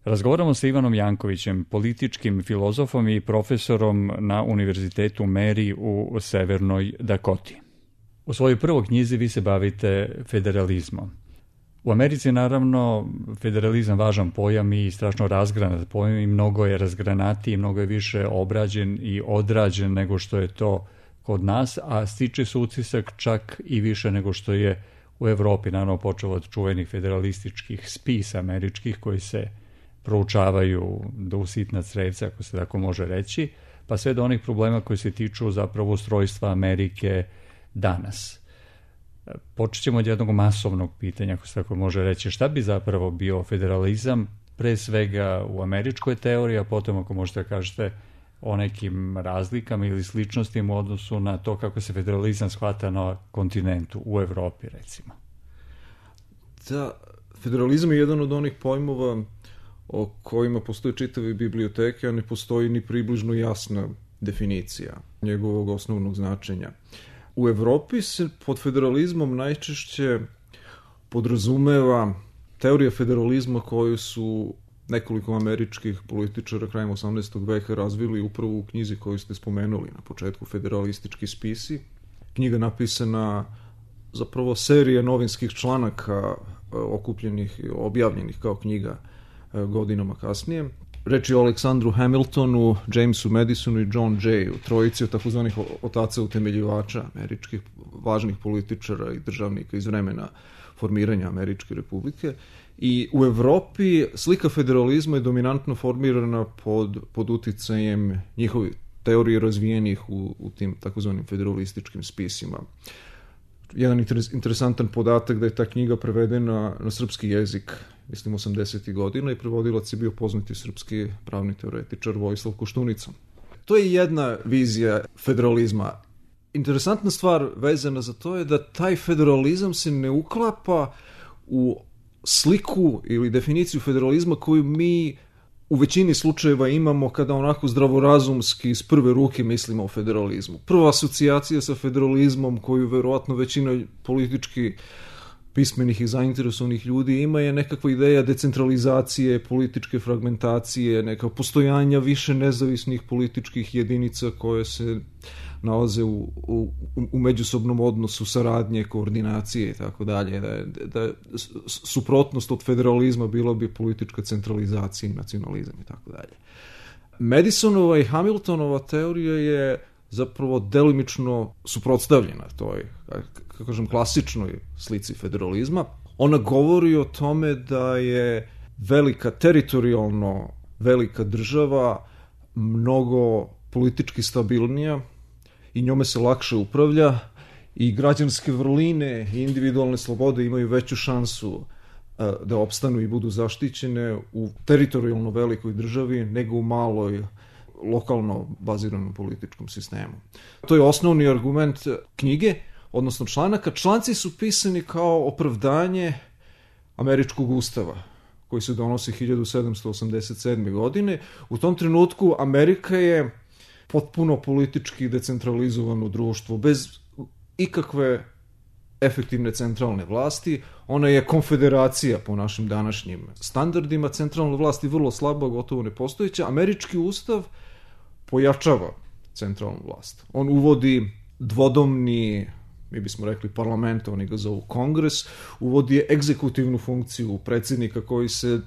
Razgovaramo sa Ivanom Jankovićem, političkim filozofom i profesorom na Univerzitetu Mary u Severnoj Dakoti. U svojoj prvoj knjizi vi se bavite federalizmom. U Americi naravno federalizam važan pojam i strašno razgranat pojam i mnogo je razgranatiji, mnogo je više obrađen i odrađen nego što je to kod nas, a stiče se utisak čak i više nego što je u Evropi, naravno počeo od čuvenih federalističkih spisa američkih koji se proučavaju do usitna crevca, ako se tako može reći, pa sve do onih problema koji se tiču zapravo ustrojstva Amerike danas. Počet ćemo od jednog masovnog pitanja, ako se tako može reći, šta bi zapravo bio federalizam, pre svega u američkoj teoriji, a potom ako možete da kažete o nekim razlikama ili sličnostima u odnosu na to kako se federalizam shvata na kontinentu, u Evropi recimo. Da, federalizam je jedan od onih pojmova o kojima postoje čitave biblioteke, a ne postoji ni približno jasna definicija njegovog osnovnog značenja. U Evropi se pod federalizmom najčešće podrazumeva teorija federalizma koju su nekoliko američkih političara krajem 18. veka razvili upravo u knjizi koju ste spomenuli na početku, Federalistički spisi. Knjiga napisana zapravo serija novinskih članaka okupljenih i objavljenih kao knjiga godinama kasnije. Reč je o Aleksandru Hamiltonu, Jamesu Madisonu i John Jayu, trojici od takozvanih otaca utemeljivača američkih važnih političara i državnika iz vremena formiranja Američke republike. I u Evropi slika federalizma je dominantno formirana pod uticajem njihovih teorije razvijenih u tim takozvanim federalističkim spisima. Jedan interesantan podatak da je ta knjiga prevedena na srpski jezik, mislim 80. godina, i prevodilac je bio poznati srpski pravni teoretičar Vojislav Koštunica. To je jedna vizija federalizma. Interesantna stvar vezana za to je da taj federalizam se ne uklapa u sliku ili definiciju federalizma koju mi u većini slučajeva imamo kada onako zdravorazumski iz prve ruke mislimo o federalizmu. Prva asocijacija sa federalizmom koju verovatno većina politički pismenih i zainteresovanih ljudi ima je nekakva ideja decentralizacije, političke fragmentacije, neka postojanja više nezavisnih političkih jedinica koje se nalaze u međusobnom odnosu saradnje, koordinacije i tako dalje. Da suprotnost od federalizma bila bi politička centralizacija i nacionalizam i tako dalje. Madisonova i Hamiltonova teorija je zapravo delimično suprotstavljena toj, kako kažem, klasičnoj slici federalizma. Ona govori o tome da je teritorijalno velika država mnogo politički stabilnija i njome se lakše upravlja i građanske vrline i individualne slobode imaju veću šansu da opstanu i budu zaštićene u teritorijalno velikoj državi nego u maloj lokalno baziranom političkom sistemu. To je osnovni argument knjige, odnosno članaka. Članci su pisani kao opravdanje američkog ustava koji se donosi 1787. godine. U tom trenutku Amerika je potpuno politički decentralizovano društvo, bez ikakve efektivne centralne vlasti. Ona je konfederacija po našim današnjim standardima, centralna vlast je vrlo slaba, gotovo nepostojeća. Američki ustav pojačava centralnu vlast. On uvodi dvodomni, mi bismo rekli parlament, oni ga zovu kongres, uvodi egzekutivnu funkciju predsjednika koji se,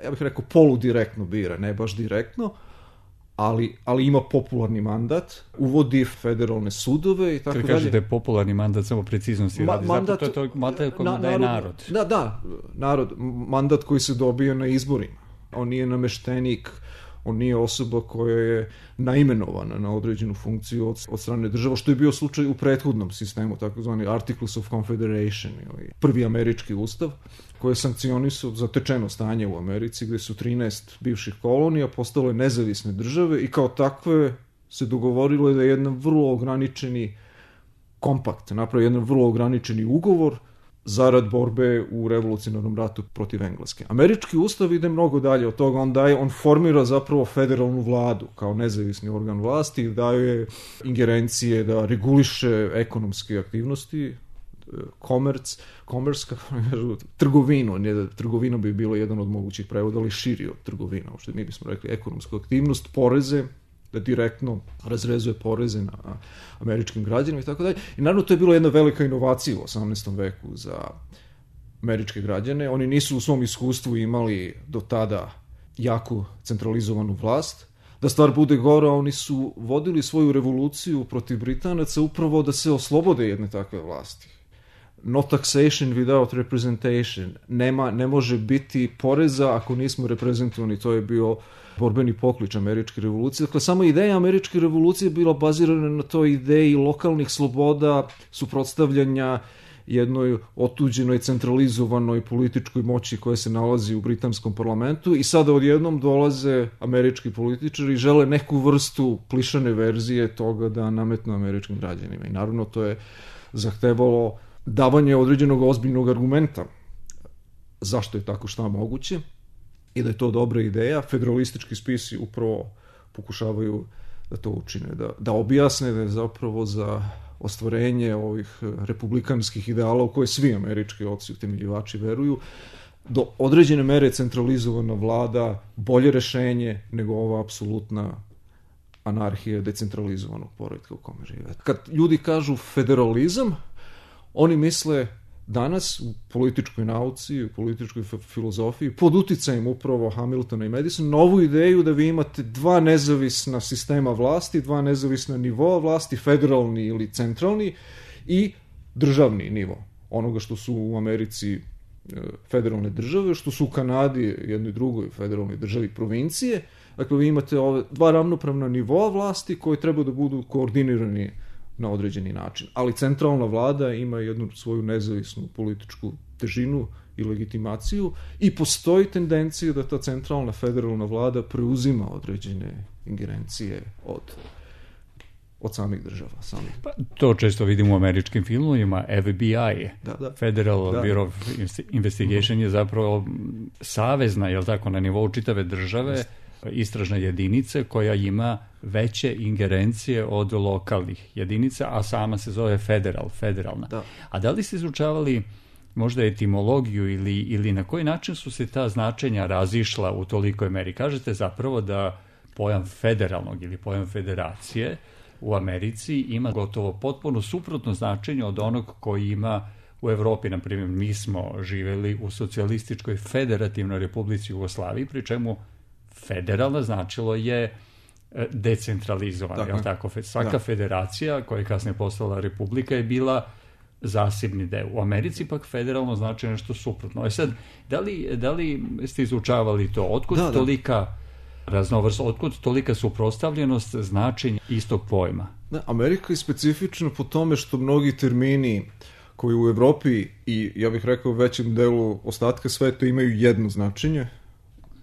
ja bih rekao, poludirektno bira, ne baš direktno, ali ima popularni mandat, uvodi federalne sudove i tako dalje. Kada kažete popularni mandat, samo preciznosti radi, mandat, zato to je mandat koji daje narod. Da, narod, mandat koji se dobije na izborima. On nije nameštenik, on nije osoba koja je naimenovana na određenu funkciju od strane država, što je bio slučaj u prethodnom sistemu, takozvani Articles of Confederation, ili prvi američki ustav, koji je sankcionisao zatečeno stanje u Americi, gde su 13 bivših kolonija postale nezavisne države i kao takve se dogovorilo da je jedan vrlo ograničeni kompakt, napravi jedan vrlo ograničeni ugovor zarad borbe u revolucionarnom ratu protiv Engleske. Američki ustav ide mnogo dalje od toga, on formira zapravo federalnu vladu kao nezavisni organ vlasti i daje ingerencije da reguliše ekonomske aktivnosti trgovinu. Trgovina bi bilo jedan od mogućih prevoda, ali širi od trgovina. Uopšte mi bismo rekli ekonomsku aktivnost, poreze, da direktno razrezuje poreze na američkim građanima i tako dalje. I naravno to je bilo jedna velika inovacija u 18. veku za američke građane. Oni nisu u svom iskustvu imali do tada jaku centralizovanu vlast. Da stvar bude gora, oni su vodili svoju revoluciju protiv Britanaca upravo da se oslobode jedne takve vlasti. No taxation without representation. Ne može biti poreza ako nismo reprezentovani. To je bio borbeni poklič američke revolucije. Dakle, sama ideja američke revolucije bila bazirana na toj ideji lokalnih sloboda, suprotstavljanja jednoj otuđenoj, centralizovanoj političkoj moći koja se nalazi u britanskom parlamentu i sada odjednom dolaze američki političari i žele neku vrstu klišane verzije toga da nametnu američkim građanima. I naravno to je zahtevalo davanje određenog ozbiljnog argumenta zašto je tako šta moguće i da je to dobra ideja. Federalistički spisi upravo pokušavaju da to učine, da objasne da je zapravo za ostvarenje ovih republikanskih ideala u koje svi američki oci utemeljivači veruju, do određene mere centralizovana vlada bolje rešenje nego ova apsolutna anarhija decentralizovanog poretka u kome žive. Kad ljudi kažu federalizam, oni misle danas u političkoj nauci, u političkoj filozofiji, pod uticajem upravo Hamiltona i Madisona, novu ideju da vi imate dva nezavisna sistema vlasti, dva nezavisna nivoa vlasti, federalni ili centralni i državni nivo. Onoga što su u Americi federalne države, što su u Kanadi jednoj drugoj federalnoj državi provincije. Dakle, vi imate ove dva ravnopravna nivoa vlasti koji treba da budu koordinirani na određeni način. Ali centralna vlada ima jednu svoju nezavisnu političku težinu i legitimaciju i postoji tendencija da ta centralna federalna vlada preuzima određene ingerencije od samih država. Pa, to često vidimo u američkim filmovima. FBI, Federal Bureau of Investigation je zapravo savezna, je li tako, na nivou čitave države, istražna jedinica koja ima veće ingerencije od lokalnih jedinica, a sama se zove federalna. Da. A da li ste izučavali možda etimologiju ili na koji način su se ta značenja razišla u tolikoj meri? Kažete zapravo da pojam federalnog ili pojam federacije u Americi ima gotovo potpuno suprotno značenje od onog koji ima u Evropi. Na primjer, mi smo živeli u socijalističkoj federativnoj Republici Jugoslaviji, pri čemu federalna značilo je decentralizovana. Je li tako? Svaka federacija koja je kasnije postala republika je bila zasebni deo. U Americi pak federalno znači nešto suprotno. Sad, da li ste izučavali to? Otkud tolika raznovrsnost, otkud tolika suprotstavljenost značenja istog pojma? Amerika je specifična po tome što mnogi termini koji u Evropi i, ja bih rekao, u većem delu ostatka sveta imaju jedno značenje,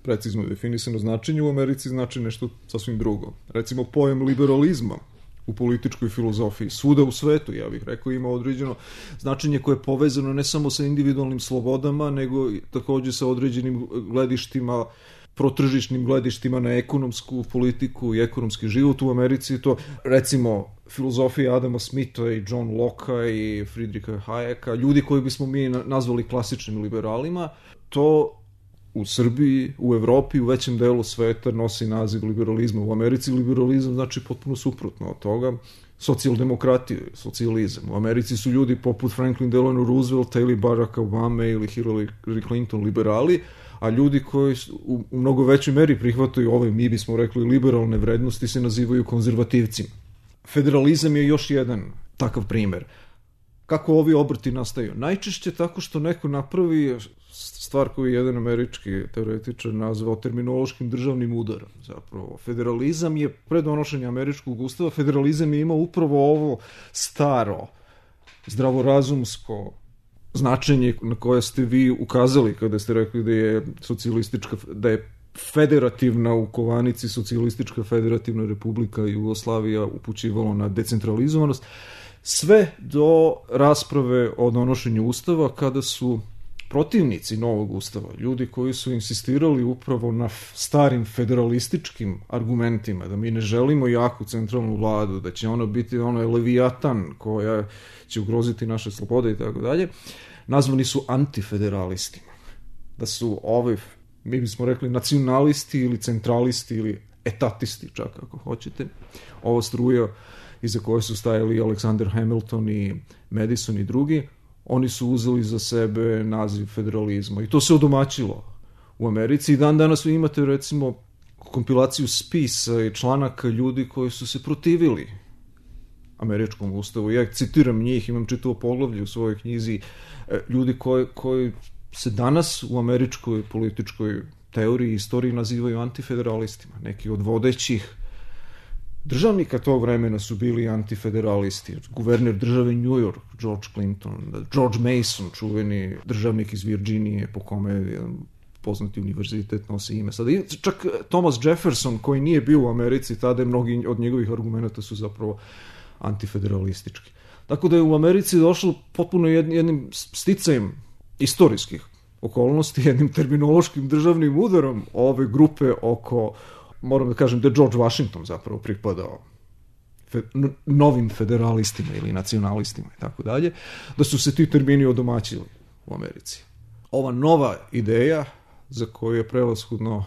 precizno definisano značenje, u Americi znači nešto sasvim drugo. Recimo, pojam liberalizma u političkoj filozofiji svuda u svetu, ja bih rekao, ima određeno značenje koje je povezano ne samo sa individualnim slobodama, nego takođe sa određenim gledištima, protržišnim gledištima na ekonomsku politiku i ekonomski život. U Americi to, recimo, filozofija Adama Smitha i John Locke i Friedricha Hayeka, ljudi koji bismo mi nazvali klasičnim liberalima, to u Srbiji, u Evropi, u većem delu sveta nosi naziv liberalizma. U Americi liberalizam znači potpuno suprotno od toga. Socijaldemokratija, socijalizam. U Americi su ljudi poput Franklin Delano Roosevelta ili Baracka Obame ili Hillary Clinton liberali, a ljudi koji u mnogo većoj meri prihvataju ove, mi bismo rekli, liberalne vrednosti se nazivaju konzervativcima. Federalizam je još jedan takav primer. Kako ovi obrti nastaju? Najčešće tako što neko napravi stvar koju je jedan američki teoretičar nazvao terminološkim državnim udarom. Zapravo, federalizam je pre donošenja američkog ustava, federalizam je imao upravo ovo staro, zdravorazumsko značenje na koje ste vi ukazali kada ste rekli da je da je federativna u kovanici socijalistička federativna republika Jugoslavija upućivalo na decentralizovanost, sve do rasprave o donošenju ustava kada su protivnici novog ustava, ljudi koji su insistirali upravo na starim federalističkim argumentima, da mi ne želimo jaku centralnu vladu, da će ona biti levijatan koja će ugroziti naše slobode i tako dalje, nazvani su antifederalistima. Da su mi bismo rekli nacionalisti ili centralisti ili etatisti čak ako hoćete. Ova struja iza koje su stajali Alexander Hamilton i Madison i drugi, oni su uzeli za sebe naziv federalizma i to se odomaćilo u Americi i danas vi imate recimo kompilaciju spisa i članaka ljudi koji su se protivili američkom ustavu. Ja citiram njih, imam čitavo poglavlje u svojoj knjizi, ljudi koji se danas u američkoj političkoj teoriji i istoriji nazivaju antifederalistima. Neki od vodećih državnika tog vremena su bili antifederalisti. Guverner države New York, George Clinton, George Mason, čuveni državnik iz Virginije, po kome jedan poznati univerzitet nosi ime. Sada, čak Thomas Jefferson, koji nije bio u Americi, tada mnogi od njegovih argumenta su zapravo antifederalistički. Tako da je u Americi došlo potpuno jednim sticajem istorijskih okolnosti, jednim terminološkim državnim udarom ove grupe oko, moram da kažem da je George Washington zapravo pripadao novim federalistima ili nacionalistima i tako dalje, da su se ti termini odomaćili u Americi. Ova nova ideja za koju je prevashodno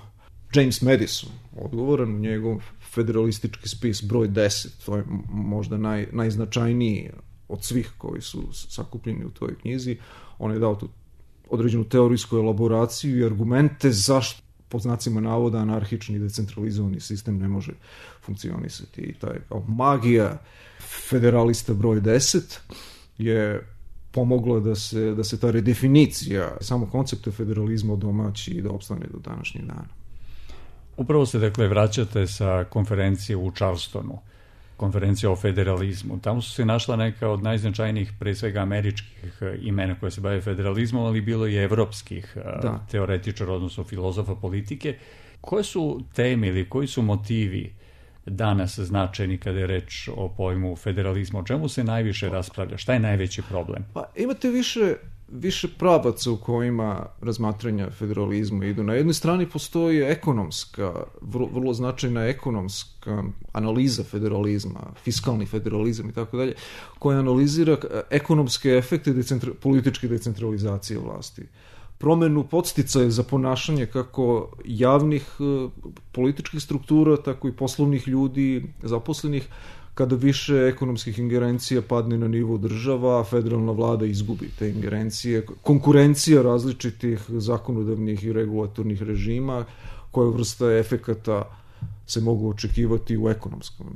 James Madison odgovoran u njegov federalistički spis broj 10, to je možda najznačajniji od svih koji su sakupljeni u toj knjizi. On je dao tu određenu teorijsku elaboraciju i argumente zašto pod znacima navoda anarhični i decentralizovani sistem ne može funkcionisati. I taj magija federalista broj 10 je pomogla da se ta redefinicija samo koncepta federalizma odomaći i da opstane do današnjeg dana. Upravo se, dakle, vraćate sa konferencije u Charlestonu, konferencija o federalizmu. Tamo su se našla neka od najznačajnijih, pre svega američkih imena koje se bave federalizmom, ali bilo i evropskih teoretičara, odnosno filozofa politike. Koje su teme ili koji su motivi danas značajni kada je reč o pojmu federalizma? O čemu se najviše raspravlja? Šta je najveći problem? Pa, imate više pravaca u kojima razmatranja federalizma idu. Na jednoj strani postoji ekonomska, vrlo značajna ekonomska analiza federalizma, fiskalni federalizam i tako dalje, koja analizira ekonomske efekte političke decentralizacije vlasti. Promenu podsticaja za ponašanje kako javnih političkih struktura, tako i poslovnih ljudi, zaposlenih, kada više ekonomskih ingerencija padne na nivo država, a federalna vlada izgubi te ingerencije, konkurencija različitih zakonodavnih i regulatornih režima, koja vrsta efekata se mogu očekivati u ekonomskom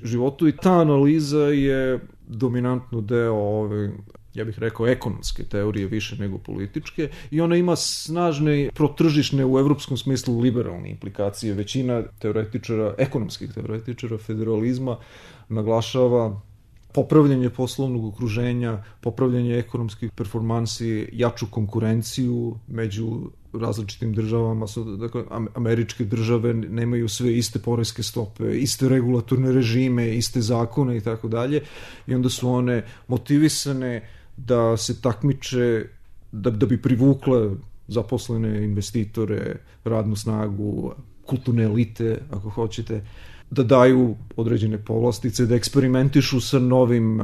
životu. I ta analiza je dominantno deo ove, ja bih rekao, ekonomske teorije više nego političke, i ona ima snažne protržišne, u evropskom smislu liberalne implikacije. Većina teoretičara, ekonomskih teoretičara federalizma naglašava popravljanje poslovnog okruženja, popravljanje ekonomskih performansi, jaču konkurenciju među različitim državama. Dakle, američke države nemaju sve iste poreske stope, iste regulatorne režime, iste zakone i tako dalje, i onda su one motivisane da se takmiče, da bi privukle zaposlene investitore, radnu snagu, kulturne elite, ako hoćete, da daju određene povlastice, da eksperimentišu sa novim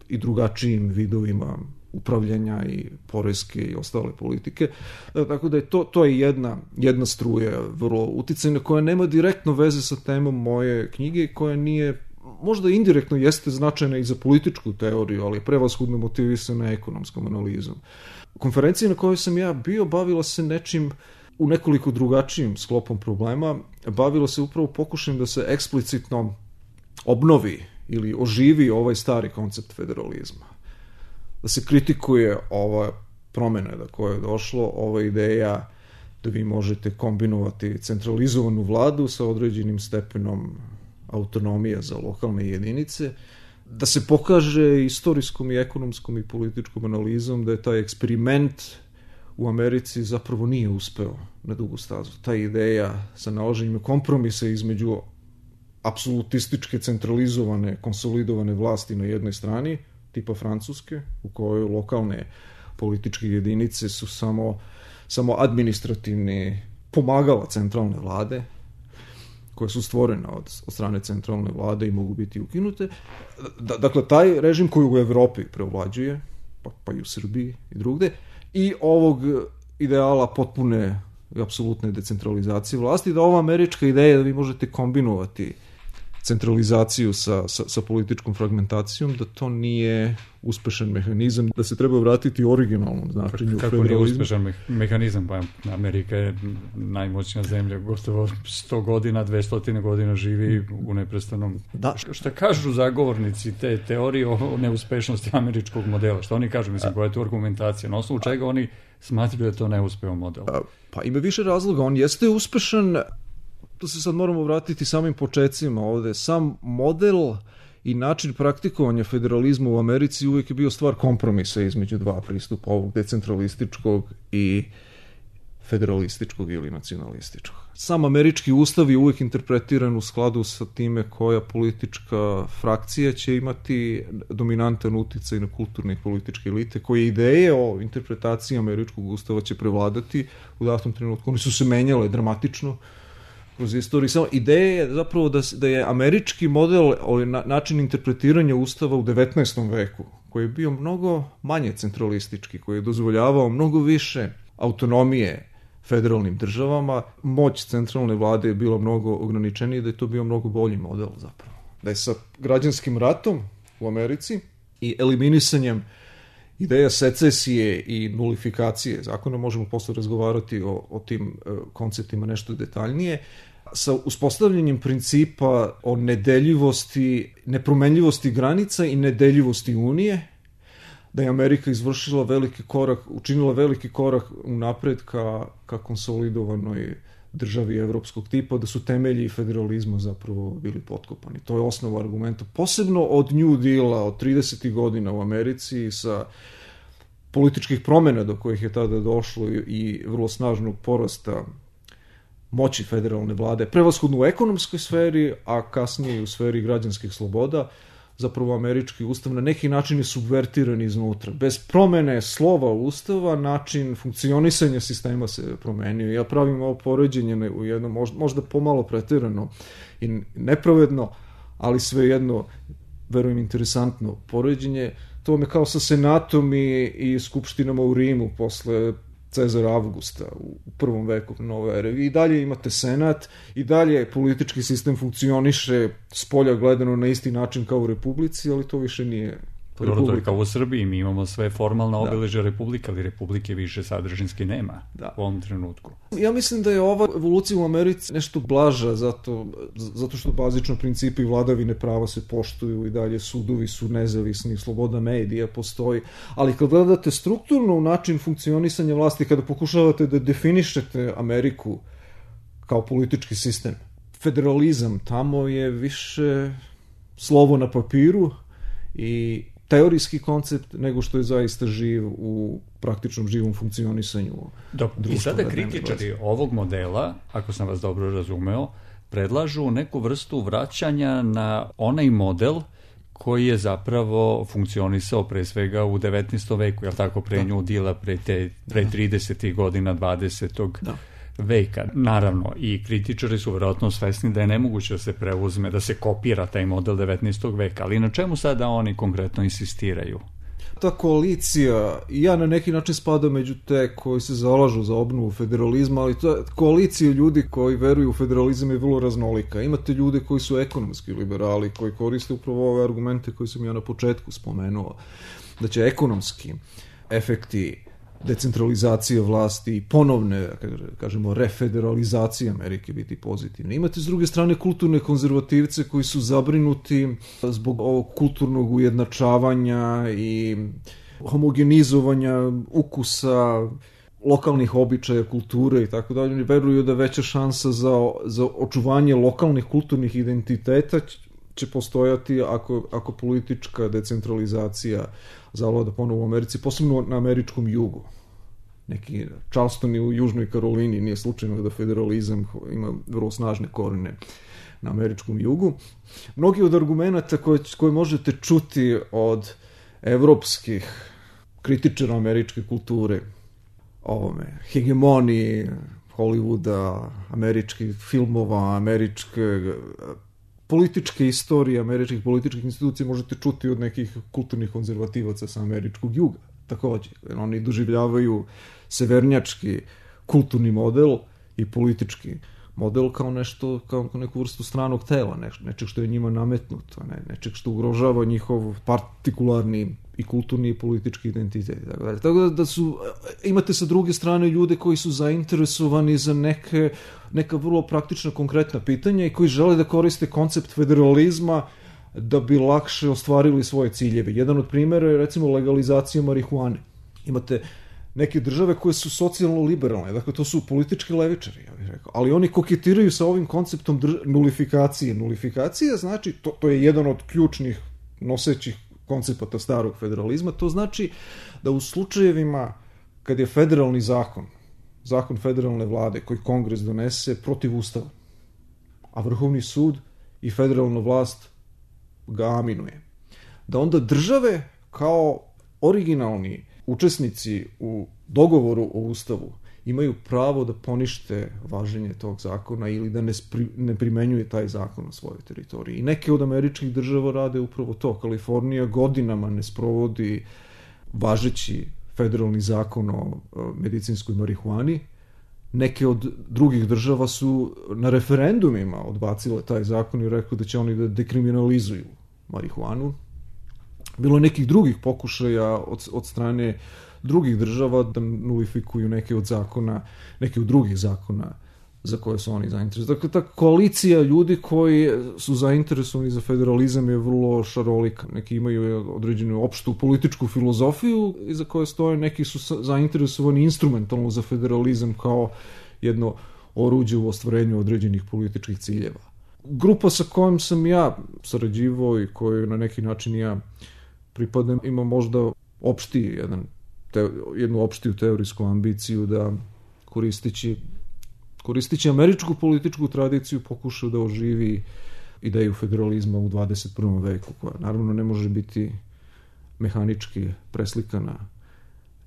i drugačijim vidovima upravljanja i poreske i ostale politike. Tako da je to je jedna struja vrlo uticajna, koja nema direktno veze sa temom moje knjige, koja nije, možda indirektno jeste značajna i za političku teoriju, ali je prevashodno motivisana ekonomskom analizom. Konferencija na kojoj sam ja bio bavila se nečim u nekoliko drugačijim sklopom problema. Bavilo se upravo pokušajem da se eksplicitno obnovi ili oživi ovaj stari koncept federalizma. Da se kritikuje ova promena do koje je došlo, ova ideja da vi možete kombinovati centralizovanu vladu sa određenim stepenom autonomije za lokalne jedinice, da se pokaže istorijskom i ekonomskom i političkom analizom da je taj eksperiment u Americi zapravo nije uspeo na dugu stazu. Ta ideja sa nalaženjem kompromisa između apsolutističke, centralizovane, konsolidovane vlasti na jednoj strani, tipa Francuske, u kojoj lokalne političke jedinice su samo administrativni pomagala centralne vlade, koje su stvorene od strane centralne vlade i mogu biti ukinute. Dakle, taj režim koji u Evropi preovlađuje, pa i u Srbiji i drugde, i ovog ideala potpune i apsolutne decentralizacije vlasti, da ova američka ideja da vi možete kombinovati centralizaciju sa političkom fragmentacijom, da to nije uspešan mehanizam, da se treba vratiti originalnom značenju federalizma. Kako nije uspešan mehanizam? Pa Amerika je najmoćnija zemlja, gotovo 100 godina, 200 godina živi u neprestanom... Da. Šta kažu zagovornici te teorije o neuspešnosti američkog modela? Šta oni kažu? Mislim, koja je to argumentacija? Na osnovu čega oni smatraju da je to neuspeo model? Pa ima više razloga. On jeste uspešan. To se sad moramo vratiti samim počecima ovde. Sam model i način praktikovanja federalizma u Americi uvijek je bio stvar kompromisa između dva pristupa, ovog decentralističkog i federalističkog ili nacionalističkog. Sam američki ustav je uvijek interpretiran u skladu sa time koja politička frakcija će imati dominantan uticaj na kulturne i političke elite, koje ideje o interpretaciji američkog ustava će prevladati u datom trenutku. Oni su se menjale dramatično kroz istoriju. Samo ideja je zapravo da je američki model, način interpretiranja ustava u 19. veku, koji je bio mnogo manje centralistički, koji je dozvoljavao mnogo više autonomije federalnim državama, moć centralne vlade je bila mnogo ograničenija, da je to bio mnogo bolji model zapravo. Da je sa građanskim ratom u Americi i eliminisanjem ideja secesije i nulifikacije zakona, možemo posle razgovarati o tim konceptima nešto detaljnije, sa uspostavljanjem principa o nedeljivosti, nepromenljivosti granica i nedeljivosti Unije, da je Amerika izvršila veliki korak, učinila veliki korak unapred ka konsolidovanoj državi evropskog tipa, da su temelji federalizma zapravo bili potkopani. To je osnova argumenta. Posebno od New Deala, od 30. godina u Americi, sa političkih promjena do kojih je tada došlo i vrlo snažnog porasta moći federalne vlade, prevashodno u ekonomskoj sferi, a kasnije i u sferi građanskih sloboda, zapravo američki ustav na neki način je subvertiran iznutra. Bez promene slova ustava, način funkcionisanja sistema se promenio. Ja pravim ovo poređenje u jednom, možda pomalo preterano i nepravedno, ali svejedno, verujem, interesantno poređenje. To me kao sa senatom i skupštinama u Rimu posle Cezara Avgusta u prvom veku nove ere. I dalje imate senat, i dalje politički sistem funkcioniše spolja gledano na isti način kao u republici, ali to više nije republika. To je kao u Srbiji, mi imamo sve formalna obeležja republika, ali republike više sadržinski nema u ovom trenutku. Ja mislim da je ova evolucija u Americi nešto blaža, zato što bazično principi vladavine prava se poštuju i dalje sudovi su nezavisni, sloboda medija postoji, ali kad gledate strukturno u način funkcionisanja vlasti, kada pokušavate da definišete Ameriku kao politički sistem, federalizam tamo je više slovo na papiru i teorijski koncept nego što je zaista živ u praktičnom živom funkcionisanju društva. I sada kritičari ovog modela, ako sam vas dobro razumeo, predlažu neku vrstu vraćanja na onaj model koji je zapravo funkcionisao pre svega u 19. veku, je li tako, pre New Deala, pre 30. godina 20. veka. Naravno, i kritičari su vjerojatno svesni da je nemoguće da se preuzme, da se kopira taj model 19. veka, ali na čemu sada oni konkretno insistiraju? Ta koalicija, ja na neki način spadam među te koji se zalažu za obnovu federalizma, ali ta koalicija ljudi koji veruju u federalizam je vrlo raznolika. Imate ljude koji su ekonomski liberali, koji koriste upravo ove argumente koje sam ja na početku spomenuo, da će ekonomski efekti decentralizacije vlasti i ponovne, kažemo, refederalizacije Amerike biti pozitivne. Imate s druge strane kulturne konzervativce koji su zabrinuti zbog ovog kulturnog ujednačavanja i homogenizovanja ukusa, lokalnih običaja, kulture i tako dalje. Oni veruju da veća šansa za očuvanje lokalnih kulturnih identiteta će postojati ako politička decentralizacija zavlada ponovo u Americi, posebno na američkom jugu. Neki Charleston u Južnoj Karolini, nije slučajno da federalizam ima vrlo snažne korene na američkom jugu. Mnogi od argumenta koje možete čuti od evropskih kritičara američke kulture, hegemoniji Hollywooda, američkih filmova, američke političke istorije, američkih političkih institucija možete čuti od nekih kulturnih konzervativaca sa američkog juga. Takođe, oni doživljavaju severnjački kulturni model i politički model kao nešto, kao neku vrstu stranog tela, nečeg što je njima nametnuto, nečeg što ugrožava njihov partikularni i kulturni i politički identitet. Tako da imate sa druge strane ljude koji su zainteresovani za neka vrlo praktična, konkretna pitanja i koji žele da koriste koncept federalizma da bi lakše ostvarili svoje ciljeve. Jedan od primjera je recimo legalizacija marihuane. Imate neke države koje su socijalno liberalne, dakle to su politički levičari, ja bih rekao, ali oni koketiraju sa ovim konceptom nulifikacije. Nulifikacija znači, to je jedan od ključnih nosećih koncepata starog federalizma, to znači da u slučajevima kad je federalni zakon federalne vlade koji Kongres donese protiv ustava, a Vrhovni sud i federalna vlast ga aminuje, da onda države kao originalni učesnici u dogovoru o ustavu imaju pravo da ponište važenje tog zakona ili da ne primenjuje taj zakon na svojoj teritoriji. I neke od američkih država rade upravo to. Kalifornija godinama ne sprovodi važeći federalni zakon o medicinskoj marihuani. Neke od drugih država su na referendumima odbacile taj zakon i rekli da će oni da dekriminalizuju marihuanu. Bilo je nekih drugih pokušaja od strane drugih država da nulifikuju neke od drugih zakona za koje su oni zainteresovani. Dakle, ta koalicija ljudi koji su zainteresovani za federalizam je vrlo šarolika. Neki imaju određenu opštu političku filozofiju iza koje stoje, neki su zainteresovani instrumentalno za federalizam kao jedno oruđe u ostvarenju određenih političkih ciljeva. Grupa sa kojom sam ja sarađivao i koju na neki način ja pripadam ima možda jednu opštiju teorijsku ambiciju da koristeći američku političku tradiciju pokuša da oživi ideju federalizma u 21. veku, koja naravno ne može biti mehanički preslikana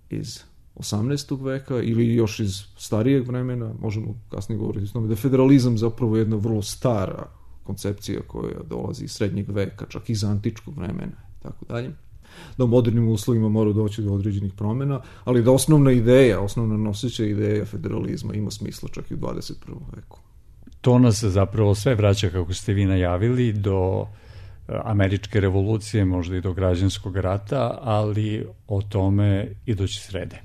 iz 18. veka ili još iz starijeg vremena. Možemo kasnije govoriti o tome da je federalizam zapravo jedna vrlo stara koncepcija koja dolazi iz srednjeg veka, čak iz antičkog vremena i tako dalje. Da u modernim uslovima mora doći do određenih promjena, ali da osnovna noseća ideja federalizma ima smisla čak i u 21. veku. To nas zapravo sve vraća, kako ste vi najavili, do američke revolucije, možda i do građanskog rata, ali o tome iduće srede.